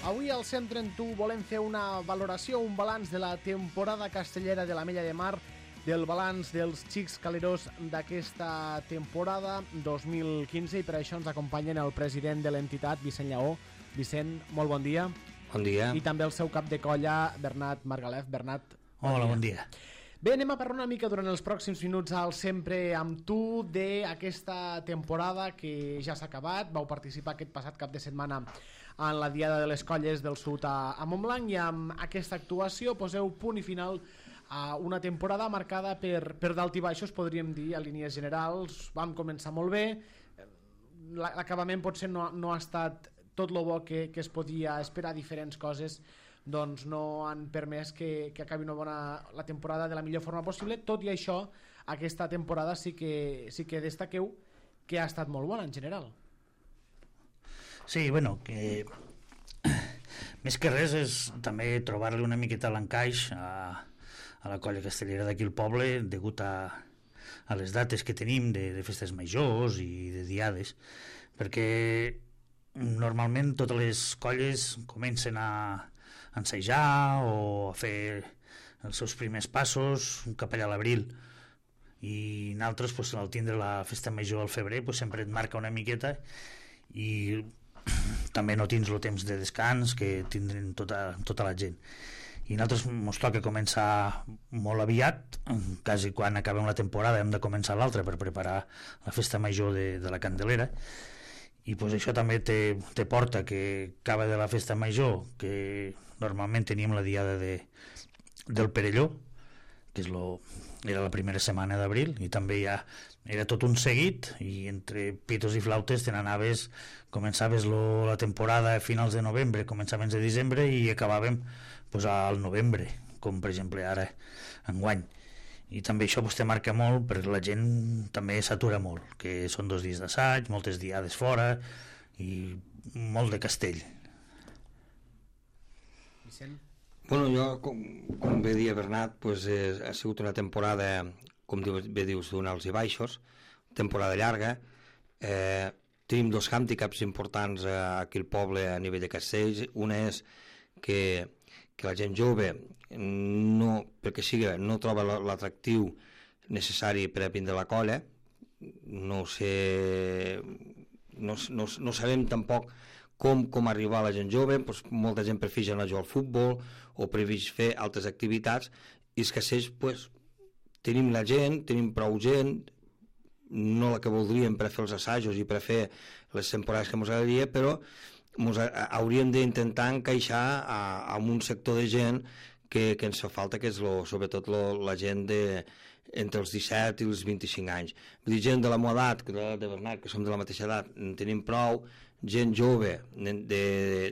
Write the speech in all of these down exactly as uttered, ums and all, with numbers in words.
Avui al cent trenta u volem fer una valoració, un balanç de la temporada castellera de l'Ametlla de Mar, del balanç dels xics calerós d'aquesta temporada dos mil quinze, i per això ens acompanyen el president de l'entitat, Vicent Lleó. Vicent, molt bon dia. Bon dia. I també el seu cap de colla, Bernat Margalef. Bernat, bon Hola, dia. bon dia. Bé, anem a parlar una mica durant els pròxims minuts al Sempre amb tu d'aquesta temporada que ja s'ha acabat. Vau participar aquest passat cap de setmana en la Diada de les Colles del Sud a, a Montblanc, i amb aquesta actuació poseu punt i final a una temporada marcada per, per dalt i baixos, podríem dir, a línies generals. Vam començar molt bé, l'acabament potser no, no ha estat tot el bo que, que es podia esperar. Diferents coses doncs no han permès que, que acabi una bona, la temporada de la millor forma possible. Tot i això, aquesta temporada sí que, sí que destaqueu que ha estat molt bona en general. Sí, bueno, que més que res és també trobar-li una miqueta l'encaix a, a la colla castellera d'aquí al poble, degut a, a les dates que tenim de, de festes majors i de diades, perquè normalment totes les colles comencen a ensejar o a fer els seus primers passos cap allà a l'abril, i nosaltres pues, al tindre la festa major al febrer pues, sempre et marca una miqueta, i també no tens el temps de descans que tindren tota, tota la gent, i nosaltres ens toca començar molt aviat, quasi quan acabem la temporada hem de començar l'altra per preparar la festa major de, de la Candelera. I pues, això també te, te porta que acaba de la festa major, que normalment teníem la diada de, del Perelló, que és lo, era la primera setmana d'abril, i també ja era tot un seguit, i entre pitos i flautes te n'anaves, començaves lo, la temporada a finals de novembre, començaments de desembre, i acabàvem pues, al novembre, com per exemple ara enguany. I també això vostè marca molt, perquè la gent també s'atura molt, que són dos dies d'assaig, moltes diades fora i molt de castell. Vicent? Bueno, jo, com, com bé dia Bernat, pues, eh, ha sigut una temporada, com bé dius, d'un alts i baixos, temporada llarga. Eh, tenim dos hàndicaps importants aquí al poble a nivell de castells. Una és que que la gent jove no, perquè sigui, no troba l'atractiu necessari per a vindre a la colla. No sé, no, no, no sabem tampoc com, com arribar a la gent jove. Pues, molta gent prefereix anar a jugar al futbol o prefereix fer altres activitats, i els castells pues, tenim la gent, tenim prou gent, no la que voldríem per fer els assajos i per fer les temporades que ens agradaria, però ens hauríem d'intentar encaixar a, a un sector de gent que, que ens fa falta, que és lo, sobretot lo, la gent de, entre els disset i els vint-i-cinc anys. Vull dir, gent de la meva edat, de, de Bernat, que som de la mateixa edat, en tenim prou. Gent jove de, de,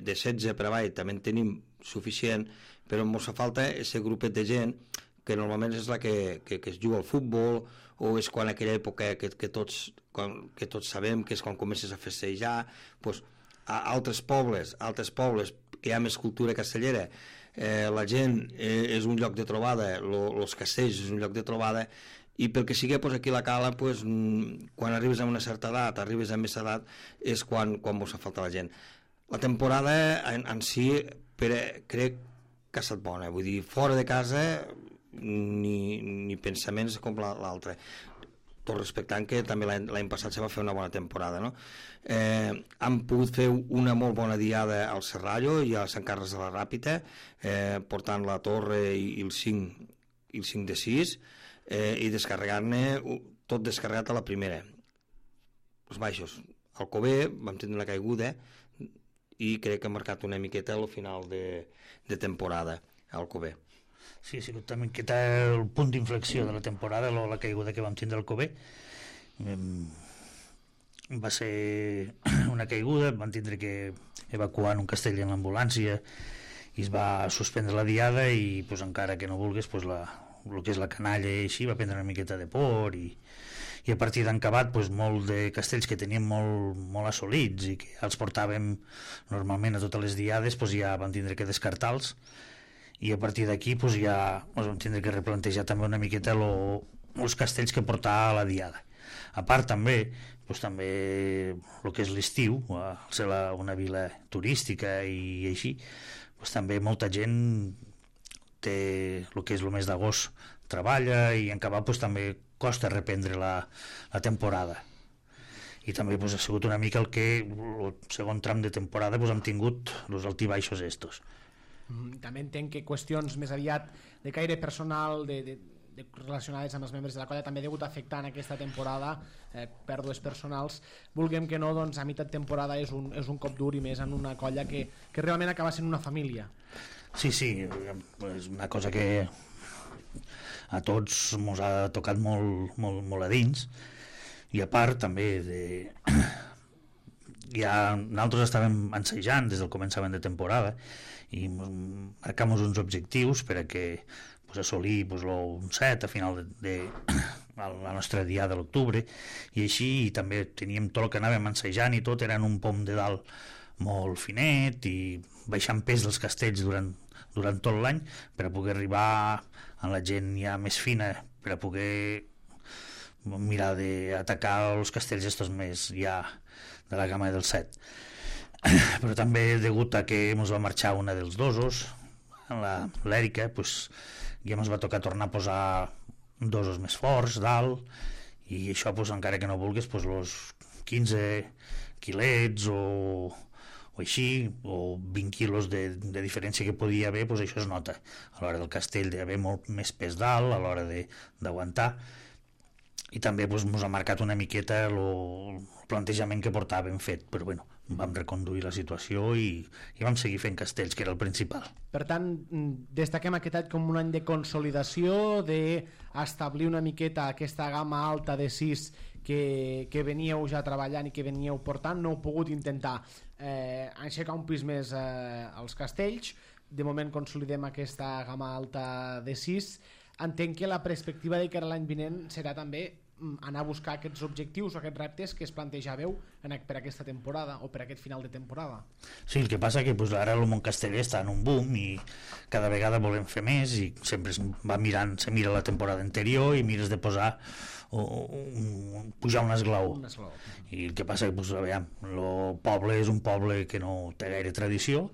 de setze per avall també en tenim suficient, però ens fa falta aquest grupet de gent que normalment és la que, que, que es juga al futbol, o és quan aquella època que, que, tots, quan, que tots sabem que és quan comences a festejar, doncs, a altres pobles, altres pobles que hi ha més cultura castellera, eh, la gent eh, és un lloc de trobada, lo, los castells és un lloc de trobada, i pel que sigui pues, aquí a la Cala, pues, quan arribes a una certa edat, arribes a més edat, és quan, quan vos fa falta la gent. La temporada en, en si per, crec que ha estat bona, vull dir, fora de casa ni, ni pensaments com l'altre, tot respectant que també l'any passat se va fer una bona temporada, no? Eh, han pogut fer una molt bona diada al Serrallo i a Sant Carles de la Ràpita, eh, portant la torre i, i el cinc i el cinc de sis, eh, i descarregant-ne tot descarregat a la primera. Els baixos. Al Cover vam tenir una caiguda i crec que ha marcat una miqueta al final de, de temporada al Cover. Sí, ha sigut també que el punt d'inflexió de la temporada, la caiguda que vam tindre al Cover. Va ser una caiguda, vam tindre que evacuar en un castell en l'ambulància i es va suspendre la diada, i pues, encara que no vulguis pues, la, el que és la canalla i així va prendre una miqueta de por, i, i a partir d'encabat pues, molt de castells que teníem molt, molt assolits i que els portàvem normalment a totes les diades, pues, ja vam tindre que descartar-los, i a partir d'aquí pues, ja ens vam tindre que replantejar també una miqueta lo, els castells que portava a la diada. A part també, doncs, també el que és l'estiu, al ser la, una vila turística i així, doncs, també molta gent té el que és el mes d'agost, treballa i en acabar doncs, també costa reprendre la, la temporada. I també doncs, ha sigut una mica el que el segon tram de temporada doncs, hem tingut els altibaixos estos. També entenc que qüestions més aviat de caire personal, de, de, de relacionades amb els membres de la colla, també ha degut afectar en aquesta temporada eh, pèrdues personals. Vulguem que no, doncs a meitat temporada és un, és un cop dur, i més en una colla que, que realment acaba sent una família. Sí, sí, és una cosa que a tots ens ha tocat molt, molt, molt a dins, i a part també de... ja nosaltres estàvem ensejant des del començament de temporada i marcam uns objectius per a que pues, assolir pues, un set a final de, de la nostra dia de l'octubre, i així i també teníem tot el que anàvem ensejant i tot era en un pom de dalt molt finet i baixant pes dels castells durant, durant tot l'any per a poder arribar a la gent ja més fina, per a poder mirar d'atacar els castells estos més ja de la gamma del set. Però també degut a que ens va marxar una dels dosos, l'Èrica, pues, ja ens va tocar tornar a posar dosos més forts dalt, i això pues, encara que no vulguis pues, los quinze quilets o, o així, o vint quilos de, de diferència que podia haver, pues, això es nota a l'hora del castell, d'haver molt més pes dalt a l'hora d'aguantar. I també pues, ens ha marcat una miqueta el plantejament que portàvem fet, però bueno, vam reconduir la situació i, i vam seguir fent castells, que era el principal. Per tant, destaquem aquest any com un any de consolidació, d'establir una miqueta aquesta gamma alta de sis que, que veníeu ja treballant i que veníeu portant. No heu pogut intentar eh, aixecar un pis més eh, als castells. De moment consolidem aquesta gamma alta de sis. Entenc que la perspectiva de cara a l'any vinent serà també anar a buscar aquests objectius o aquests reptes que es plantejàveu per aquesta temporada o per aquest final de temporada. Sí, el que passa que pues, ara el món casteller està en un boom i cada vegada volem fer més i sempre es va mirant, se mira la temporada anterior i mires de posar o, o, pujar un esglaó. Un esglaó. I el que passa que pues, aviam, el poble és un poble que no té gaire tradició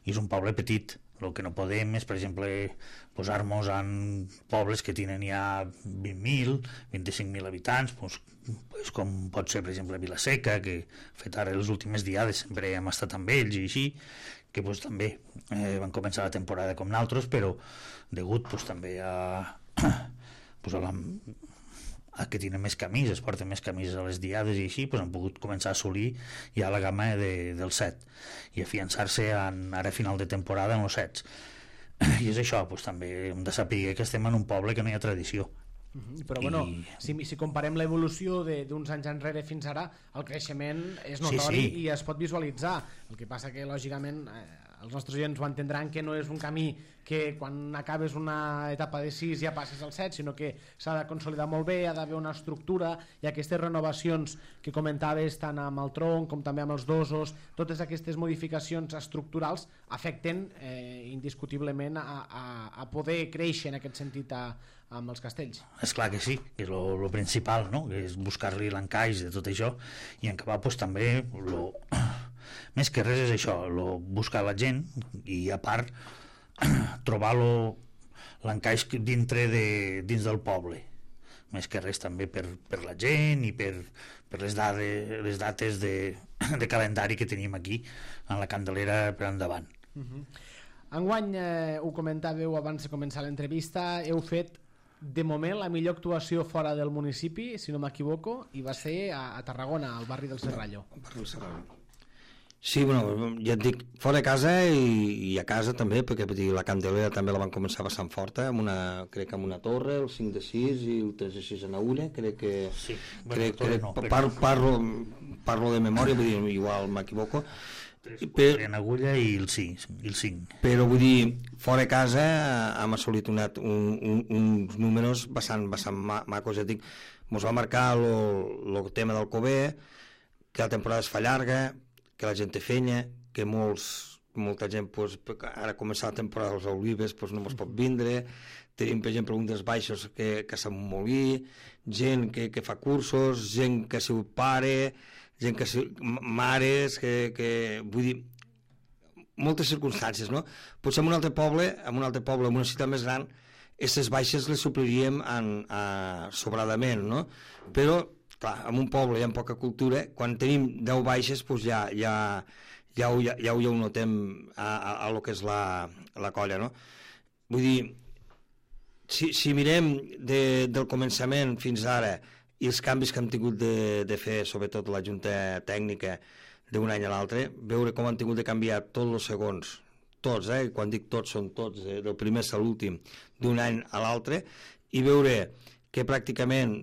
i és un poble petit. El que no podem és, per exemple, posar-nos en pobles que tenen ja vint mil, vint-i-cinc mil habitants, pues, pues, com pot ser, per exemple, Vilaseca, que fet ara les últimes diades sempre hem estat amb ells i així, que pues, també eh, van començar la temporada com nosaltres, però degut pues, també a, pues, a la... a que tenen més camises, es porten més camises a les diades i així, doncs han pogut començar a assolir ja la gamma de, del set i afiançar-se ara a final de temporada en els sets. I és això, doncs, també hem de saber que estem en un poble que no hi ha tradició. Uh-huh. Però bueno, I... si, si comparem l'evolució d'uns anys enrere fins ara, el creixement és notori, sí, sí. I es pot visualitzar. El que passa que, lògicament, eh, els nostres oients ho entendran que no és un camí que quan acabes una etapa de sis ja passes al set, sinó que s'ha de consolidar molt bé, ha d'haver una estructura, i aquestes renovacions que comentaves tant amb el tronc com també amb els dosos, totes aquestes modificacions estructurals afecten eh, indiscutiblement a, a, a poder créixer en aquest sentit a, amb els castells. És clar que sí, que és el principal, no? Que és buscar-li l'encaix de tot això i en acabar pues, també lo... més que res és això, lo... buscar la gent i a part trobar l'encaix dintre de, dins del poble, més que res també per, per la gent i per, per les, dades, les dates de, de calendari que tenim aquí en la Candelera per endavant. Uh-huh. Enguany, eh, ho comentàveu abans de començar l'entrevista, heu fet de moment la millor actuació fora del municipi, si no m'equivoco, i va ser a, a Tarragona, al barri del Serrallo. Al barri del Serrallo. Sí, bueno, ja et dic, fora de casa i, i a casa també, perquè dir, la Candelera també la van començar bastant forta, amb una, crec que amb una torre, el cinc de sis i el tres de sis en Agulla, crec que... Sí, bueno, crec, crec, no, par, parlo, parlo de memòria, vull dir, igual m'equivoco. Per... en Agulla i el cinc, el cinc. Però vull dir, fora de casa hem assolit una, un, un, uns números bastant, bastant macos, ja dic, ens va marcar el tema del Cover, que la temporada es fa llarga, que la gent té feina, que molts, molta gent, pues, ara començar la temporada dels olives, pues, no es pot vindre, tenim, per exemple, un dels baixos que, que s'ha molí, gent que, que fa cursos, gent que ha sigut pare, gent que ha sigut mares, que, que vull dir, moltes circumstàncies, no? Potser en un altre poble, en un altre poble, en una ciutat més gran, aquestes baixes les supliríem en, a, sobradament, no? Però, clar, en un poble hi ha poca cultura, quan tenim deu baixes, doncs ja, ja, ja, ho, ja, ja ho notem a, a, a lo que és la, la colla, no? Vull dir, si, si mirem de, del començament fins ara i els canvis que hem tingut de, de fer, sobretot la junta tècnica, d'un any a l'altre, veure com han tingut de canviar tots els segons, tots, eh? Quan dic tots són tots, eh? Del primer a l'últim, d'un any a l'altre, i veure que pràcticament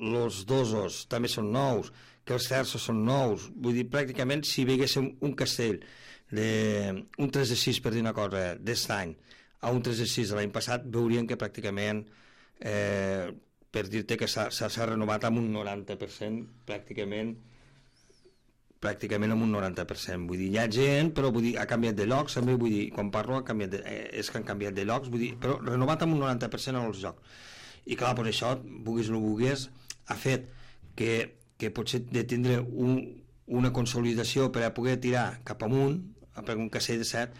els dosos també són nous, que els terços són nous, vull dir, pràcticament si veiéssim un castell, de, un tres de sis per dir una cosa, d'est any, a un tres de sis de l'any passat, veuríem que pràcticament, eh, per dir-te que s'ha renovat amb un noranta per cent, pràcticament, pràcticament amb un noranta per cent. Vull dir, hi ha gent, però vull dir, ha canviat de llocs, també, vull dir, quan parlo ha canviat de, eh, és que han canviat de llocs, vull dir, però renovat amb un noranta per cent en els jocs. I clar, per això, vulguis o no vulguis, ha fet que, que potser de tindre un, una consolidació per a poder tirar cap amunt, per un castell de set,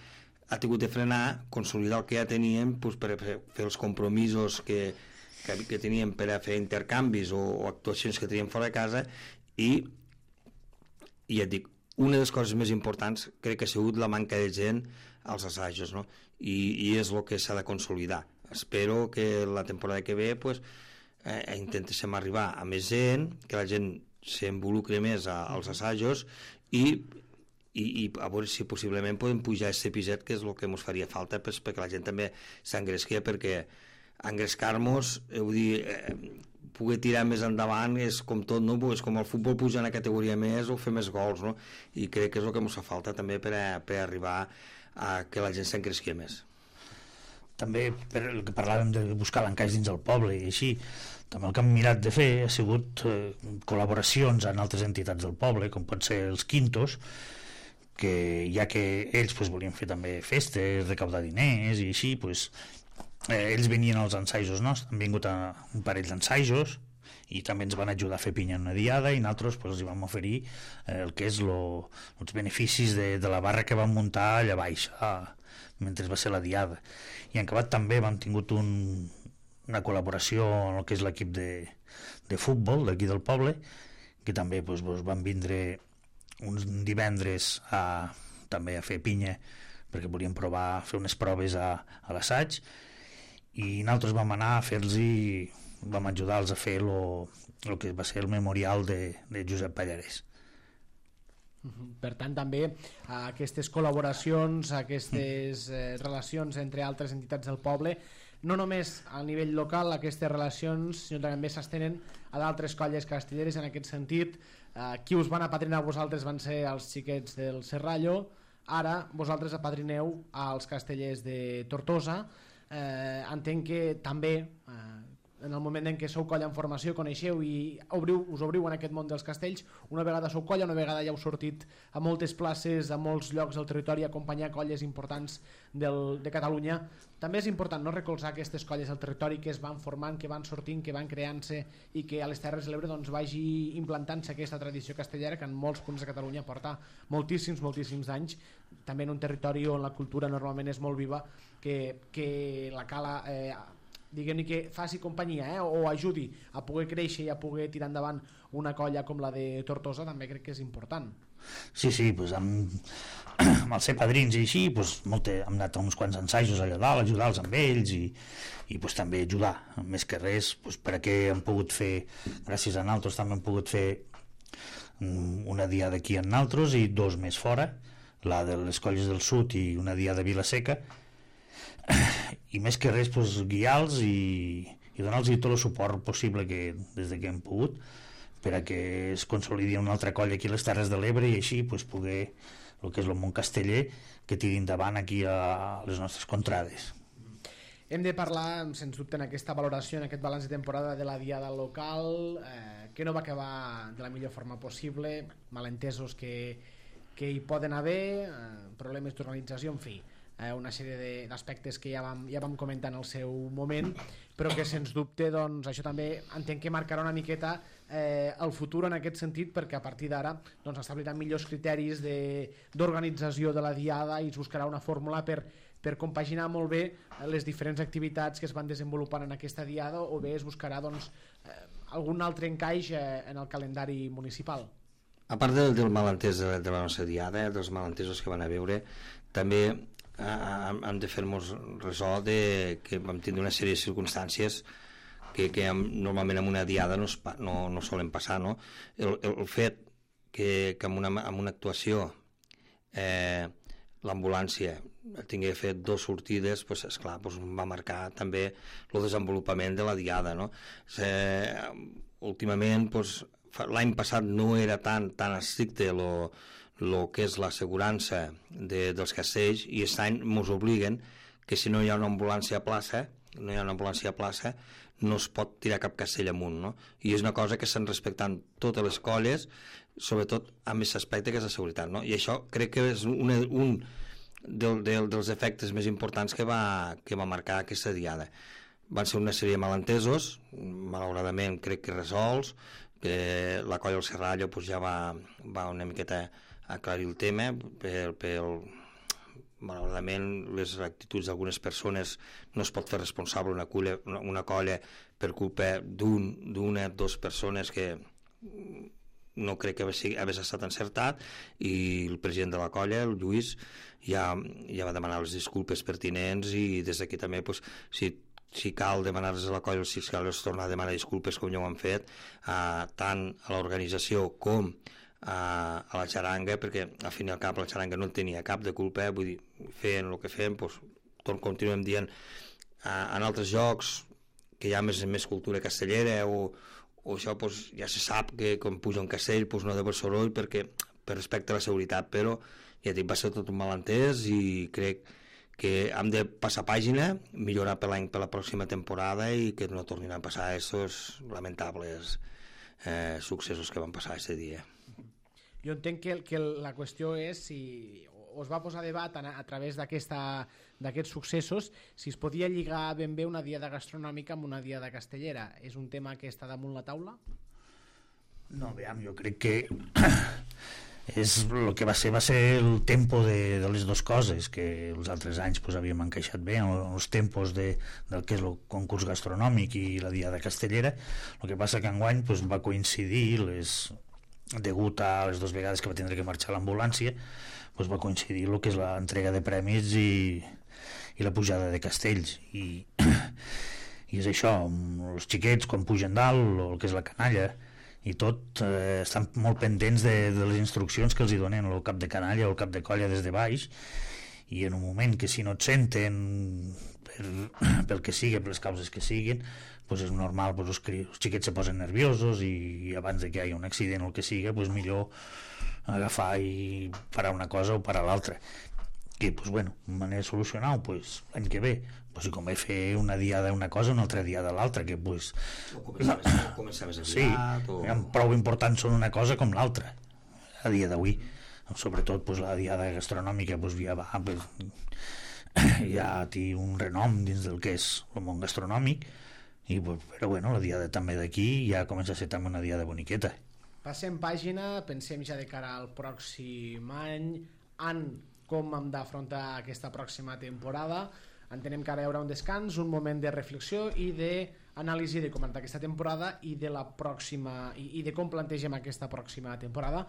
ha tingut de frenar, consolidar el que ja teníem, doncs, per fer, fer els compromisos que, que, que teníem per a fer intercanvis o, o actuacions que teníem fora de casa, i, i ja et dic, una de les coses més importants crec que ha sigut la manca de gent als assajos, no? I, i és el que s'ha de consolidar. Espero que la temporada que ve pues, eh, intentéssim arribar a més gent, que la gent s'involucre més a, als assajos, i I, i a veure si possiblement podem pujar aquest episet, que és el que ens faria falta, pues, perquè la gent també s'engresqui, perquè engrescar-nos, eh, vull dir, eh, poder tirar més endavant és com tot, no? És com el futbol pujar una categoria més o fer més gols, no? I crec que és el que ens fa falta també per, a, per arribar a que la gent s'engresqui més. També per el que parlàvem de buscar l'encaix dins el poble i així, també el que hem mirat de fer ha sigut eh, col·laboracions en altres entitats del poble, com pot ser els Quintos, que ja que ells pues, volien fer també festes, recaudar diners i així, pues, eh, ells venien als ensajos nostres, han vingut a un parell d'ensajos i també ens van ajudar a fer pinya en una diada i nosaltres pues, els vam oferir eh, el que és lo, els beneficis de, de la barra que vam muntar allà baix ah, mentre va ser la diada. I en acabat també vam tingut un, una col·laboració amb el que és l'equip de, de futbol d'aquí del poble, que també pues, pues, van vindre uns divendres a, també a fer pinya perquè volíem provar, fer unes proves a, a l'assaig, i nosaltres vam anar a fer-los i vam ajudar-los a fer el que va ser el memorial de, de Josep Pallarès. Per tant, també aquestes col·laboracions, aquestes eh, relacions entre altres entitats del poble, no només a nivell local aquestes relacions, sinó també s'estenen a d'altres colles castelleres. En aquest sentit, eh, qui us van apadrinar a vosaltres van ser els xiquets del Serrallo, ara vosaltres apadrineu als castellers de Tortosa. Eh, entenc que també eh, en el moment en què sou colla en formació coneixeu i obriu, us obriu en aquest món dels castells. Una vegada sou colla, una vegada ja heu sortit a moltes places, a molts llocs del territori, a acompanyar colles importants del, de Catalunya. També és important, no?, recolzar aquestes colles del territori que es van formant, que van sortint, que van creant-se i que a les Terres de l'Ebre doncs, vagi implantant-se aquesta tradició castellera que en molts punts de Catalunya porta moltíssims, moltíssims anys, també en un territori on la cultura normalment és molt viva, que, que la cala eh, diguem-ne que faci companyia eh, o ajudi a poder créixer i a poder tirar endavant una colla com la de Tortosa, també crec que és important. Sí, sí, pues amb, amb els ser padrins i així, pues, molt, hem anat a uns quants ensajos allà dalt, ajudar-los amb ells i, i pues, també ajudar, més que res, pues, per a què hem pogut fer, gràcies a nosaltres també hem pogut fer una diada aquí en nosaltres i dos més fora, la de les colles del sud i una diada a Vilaseca, i més que res pues, guiar-los i, i donar-los tot el suport possible que, des de que hem pogut, per a que es consolidi una altra colla aquí a les Terres de l'Ebre i així pues, poder, el que és el món casteller, que tiri endavant aquí a les nostres contrades. Hem de parlar, sens dubte, en aquesta valoració, en aquest balanç de temporada de la diada local, eh, que no va acabar de la millor forma possible, malentesos que, que hi poden haver, eh, problemes d'organització, en fi. eh, una sèrie d'aspectes que ja vam, ja vam comentar en el seu moment, però que sens dubte doncs, això també entenc que marcarà una miqueta eh, el futur en aquest sentit, perquè a partir d'ara doncs, establiran millors criteris d'organització de, de la diada i es buscarà una fórmula per, per compaginar molt bé les diferents activitats que es van desenvolupant en aquesta diada, o bé es buscarà doncs, eh, algun altre encaix eh, en el calendari municipal. A part del, del malentès de, de la nostra diada, dels malentesos que van a veure, també hem de fer-nos ressò de que vam tindre una sèrie de circumstàncies que, que normalment en una diada no, es, no, no solen passar, no? El, el fet que, que en, una, en una actuació eh, l'ambulància tingui fet dues sortides, pues, esclar, pues, va marcar també el desenvolupament de la diada, no? Eh, últimament, pues, l'any passat no era tan, tan estricte lo, el que és l'assegurança de, dels castells, i aquest any ens obliguen que si no hi ha una ambulància a plaça, no hi ha una ambulància a plaça, no es pot tirar cap castell amunt, no? I és una cosa que estan respectant totes les colles, sobretot amb aquest aspecte que és la seguretat, no? I això crec que és una, un del, del, dels efectes més importants que va, que va marcar aquesta diada. Van ser una sèrie de malentesos, malauradament crec que resolts, que la colla del Serrallo pues, ja va, va una miqueta aclarir el tema, per, per, malauradament les actituds d'algunes persones no es pot fer responsable una colla, una, una colla per culpa d'un, d'una, dues persones que no crec que hagués estat encertat, i el president de la colla, el Lluís, ja, ja va demanar les disculpes pertinents, i des d'aquí també pues, si si cal demanar-les a la colla, si cal tornar a demanar disculpes com ja ho han fet, eh, tant a l'organització com a, a la xaranga, perquè al fin i al cap la xaranga no tenia cap de culpa, vull dir, fent el que fem, doncs, continuem dient, eh, en altres jocs que hi ha més, més cultura castellera, o, o això doncs, ja se sap que quan puja un castell doncs, no ha d'haver soroll perquè, per respecte a la seguretat, però ja dic, va ser tot un malentès, i crec que hem de passar pàgina, millorar per l'any per la pròxima temporada, i que no tornin a passar aquests lamentables eh, successos que van passar aquest dia. Jo entenc que, que la qüestió és si o es va posar a debat a, a través d'aquests successos, si es podia lligar ben bé una diada gastronòmica amb una diada castellera. És un tema que està damunt la taula? No, veiem, jo crec que és el que va ser va ser el tempo de, de les dues coses, que els altres anys pues, havíem encaixat bé en els tempos de, del que és el concurs gastronòmic i la diada castellera. El que passa que enguany pues, va coincidir, les, degut a les dues vegades que va tindre que marxar l'ambulància, pues, va coincidir el que és l'entrega de premis i, i la pujada de castells, i, i és això, els xiquets quan pugen dalt, el que és la canalla i tot, eh, estan molt pendents de, de les instruccions que els hi donen el cap de canalla o el cap de colla des de baix, i en un moment que si no et senten per, pel que sigui, per les causes que siguin, pues és normal, pues els, els xiquets se posen nerviosos, i, i abans de que hi hagi un accident o el que siga, pues millor agafar i parar una cosa o parar l'altra. I pues bueno, manera de solucionar-ho, pues l'any que ve pues, si convé fer una diada una cosa, una altra diada l'altra, que pues o començar, la... més, començar més aviat, sí, o... prou importants són una cosa com l'altra a dia d'avui, sobretot pues, la diada gastronòmica pues, ja va pues, ja té un renom dins del que és el món gastronòmic, i, pues, però bueno, la diada també d'aquí ja comença a ser també una diada boniqueta. Passem pàgina, pensem ja de cara al pròxim any, en com hem d'afrontar aquesta pròxima temporada. Entenem que ara hi haurà un descans, un moment de reflexió i d'anàlisi de com està aquesta temporada i de la pròxima i, i de com plantegem aquesta pròxima temporada,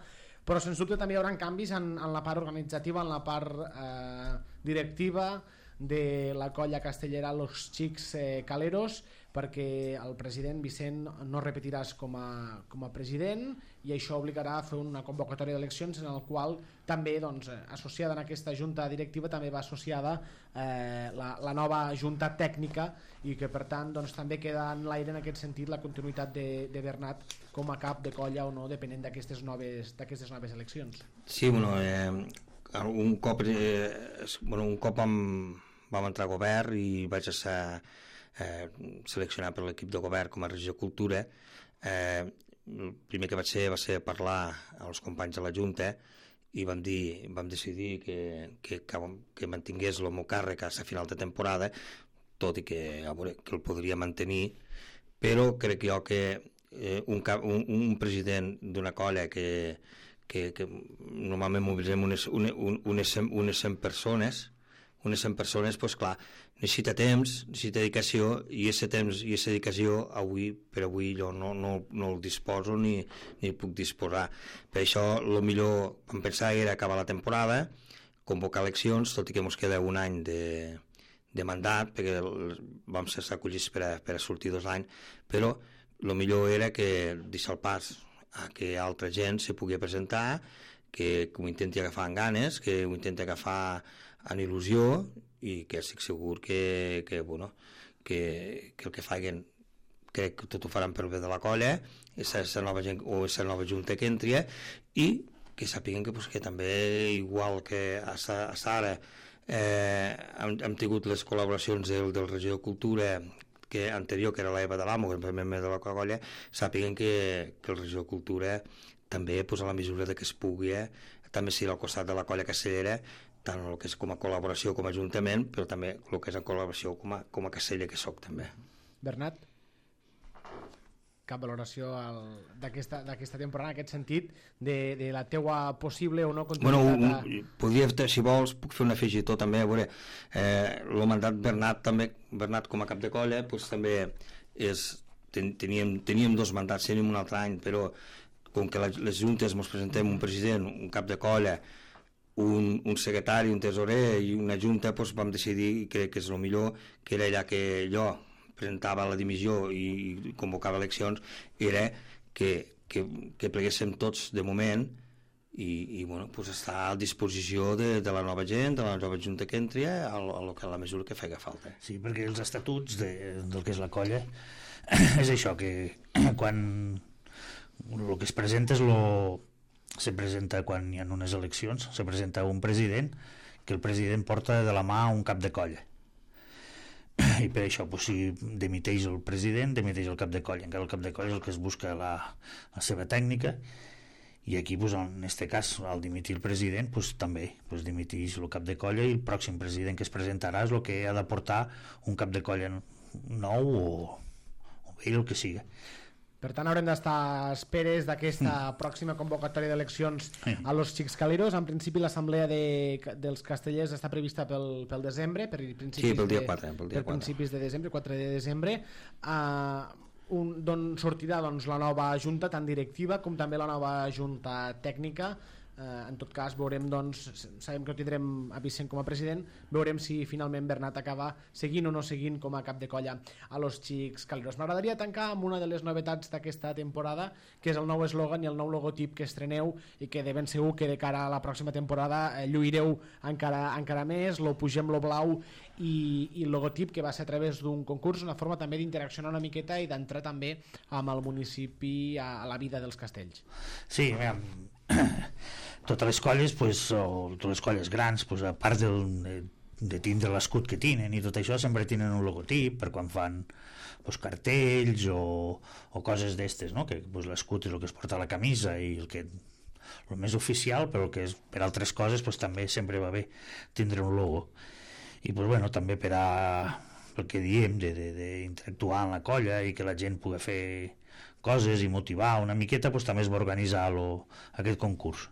però sens dubte també hi haurà canvis en, en la part organitzativa, en la part eh, directiva de la colla castellera Los Xics eh, Caleros, perquè el president Vicent no repetiràs com a, com a president, i això obligarà a fer una convocatòria d'eleccions en el qual també, doncs, associada en aquesta junta directiva, també va associada eh, la, la nova junta tècnica, i que per tant doncs, també queda en l'aire en aquest sentit la continuïtat de, de Bernat com a cap de colla o no, depenent d'aquestes noves, d'aquestes noves eleccions. Sí, bueno, eh, un cop, eh, bueno, un cop amb vam entrar a govern i vaig ser eh, seleccionat per l'equip de govern com a regidor de Cultura. Eh, el primer que vaig fer va ser parlar als companys de la Junta i vam, dir, vam decidir que, que, que, que mantingués el meu càrrec a la final de temporada, tot i que, a veure, que el podria mantenir, però crec jo que eh, un, un, un president d'una colla que, que, que normalment mobilitzem unes, unes, unes, unes cent persones, unes cent persones, doncs clar, necessita temps, necessita dedicació, i aquest temps i aquesta dedicació avui, per avui jo no, no, no el disposo ni, ni puc disposar. Per això el millor vam pensar era acabar la temporada, convocar eleccions, tot i que ens queda un any de, de mandat, perquè vam ser acollits per a, per a sortir dos anys, però el millor era que deixar el pas a que altra gent se pugui presentar, que, que ho intenti agafar amb ganes, que ho intenti agafar amb il·lusió, i que estic segur que, que, bueno, que, que el que facin, crec que tot ho faran per bé de la colla, és la nova gent, o és la nova junta que entri, i que sàpiguen que, pues, que també, igual que a Sara, eh, hem, hem tingut les col·laboracions del, del regidor de Cultura, que anterior, que era l'Eva de l'Amo, que és membre de la colla, sàpiguen que, que el regidor de Cultura també, pues, a la mesura de que es pugui, eh, també sigui al costat de la colla castellera, tant el que és com a col·laboració com a ajuntament, però també el que és en col·laboració com a, com a castella que soc també. Bernat, cap valoració d'aquesta temporada en aquest sentit, de, de la teua possible o no continuïtat? Bueno, a... podria, si vols, puc fer un afegitó també, a veure, eh, el mandat Bernat també, Bernat com a cap de colla, doncs també és, ten, teníem, teníem dos mandats, teníem un altre any, però com que les juntes ens presentem un president, un cap de colla, Un, un secretari, un tesorer i una junta, doncs vam decidir, i crec que és el millor, que era allà que jo presentava la dimissió i convocava eleccions, era que, que, que pleguéssim tots de moment i, i bueno, doncs està a disposició de, de la nova gent, de la nova junta que entri, a, a, a la mesura que faci falta. Sí, perquè els estatuts de, del que és la colla és això, que quan el que es presenta és lo se presenta quan hi ha unes eleccions, se presenta un president, que el president porta de la mà un cap de colla, i per això, pues, si demiteix el president, demiteix el cap de colla, encara el cap de colla és el que es busca la, la seva tècnica, i aquí, pues, en aquest cas, al dimitir el president, pues, també pues, dimiteix el cap de colla, i el pròxim president que es presentarà és el que ha de portar un cap de colla nou o, o vell, el que siga. Per tant, haurem d'estar a esperes d'aquesta mm. pròxima convocatòria d'eleccions mm. a los Xicxcaleros. En principi, l'assemblea de, dels castellers està prevista pel, pel desembre, per principis, sí, pel dia quatre, pel dia per principis de desembre, quatre de desembre, uh, un, d'on sortirà, doncs, la nova junta, tant directiva com també la nova junta tècnica. Uh, en tot cas, veurem, doncs, sabem que ho tindrem a Vicent com a president, veurem si finalment Bernat acaba seguint o no seguint com a cap de colla a los Xicxcaleros. M'agradaria tancar amb una de les novetats d'aquesta temporada, que és el nou eslògan i el nou logotip que estreneu, i que de ben segur que de cara a la pròxima temporada eh, lluireu encara, encara més. Lo pugem lo blau i, i el logotip, que va ser a través d'un concurs, una forma també d'interaccionar una miqueta i d'entrar també amb el municipi a, a la vida dels castells. Sí, mira, totes les colles, pues, o totes les colles grans, pues, a part del, de, de tindre l'escut que tenen i tot això, sempre tenen un logotip per quan fan, pues, cartells o, o coses d'estes, no? Que, pues, l'escut és el que es porta a la camisa i el que el més oficial, però el que és per altres coses, pues, també sempre va bé tindre un logo. I pues, bueno, també per a el que diem d'interactuar en la colla i que la gent pugui fer coses i motivar una miqueta, pues, també es va organitzar lo, aquest concurs.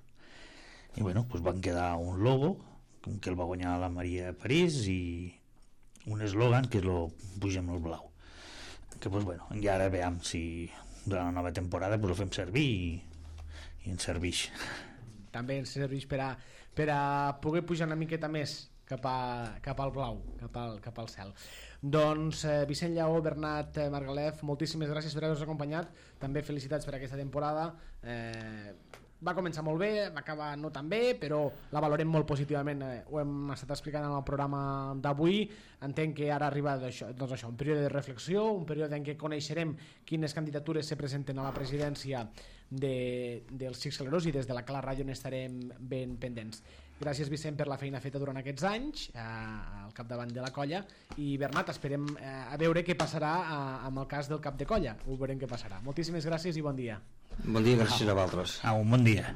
I bueno, pues, van quedar un logo que el va guanyar la Maria París i un eslògan que lo pugem al blau, que, pues, bueno, i ara veiem si durant la nova temporada, pues, ho fem servir i, i ens serveix. També ens serveix per a, per a poder pujar una miqueta més cap, a, cap al blau, cap al, cap al cel. Doncs eh, Vicent Lleó, Bernat eh, Margalef, moltíssimes gràcies per haver-nos acompanyat, també felicitats per aquesta temporada. eh, va començar molt bé, va acabar no tan bé, però la valorem molt positivament, eh, ho hem estat explicant en el programa d'avui. Entenc que ara arriba això, doncs això, un període de reflexió, un període en què coneixerem quines candidatures se presenten a la presidència de, dels Xicxcaleros, i des de la Cala Ràdio n'estarem ben pendents. Gràcies, Vicent, per la feina feta durant aquests anys eh, al capdavant de la colla, i Bernat, esperem eh, a veure què passarà eh, amb el cas del cap de colla, ho veurem què passarà. Moltíssimes gràcies i bon dia. Bon dia, gràcies a vosaltres. Ah, un bon dia.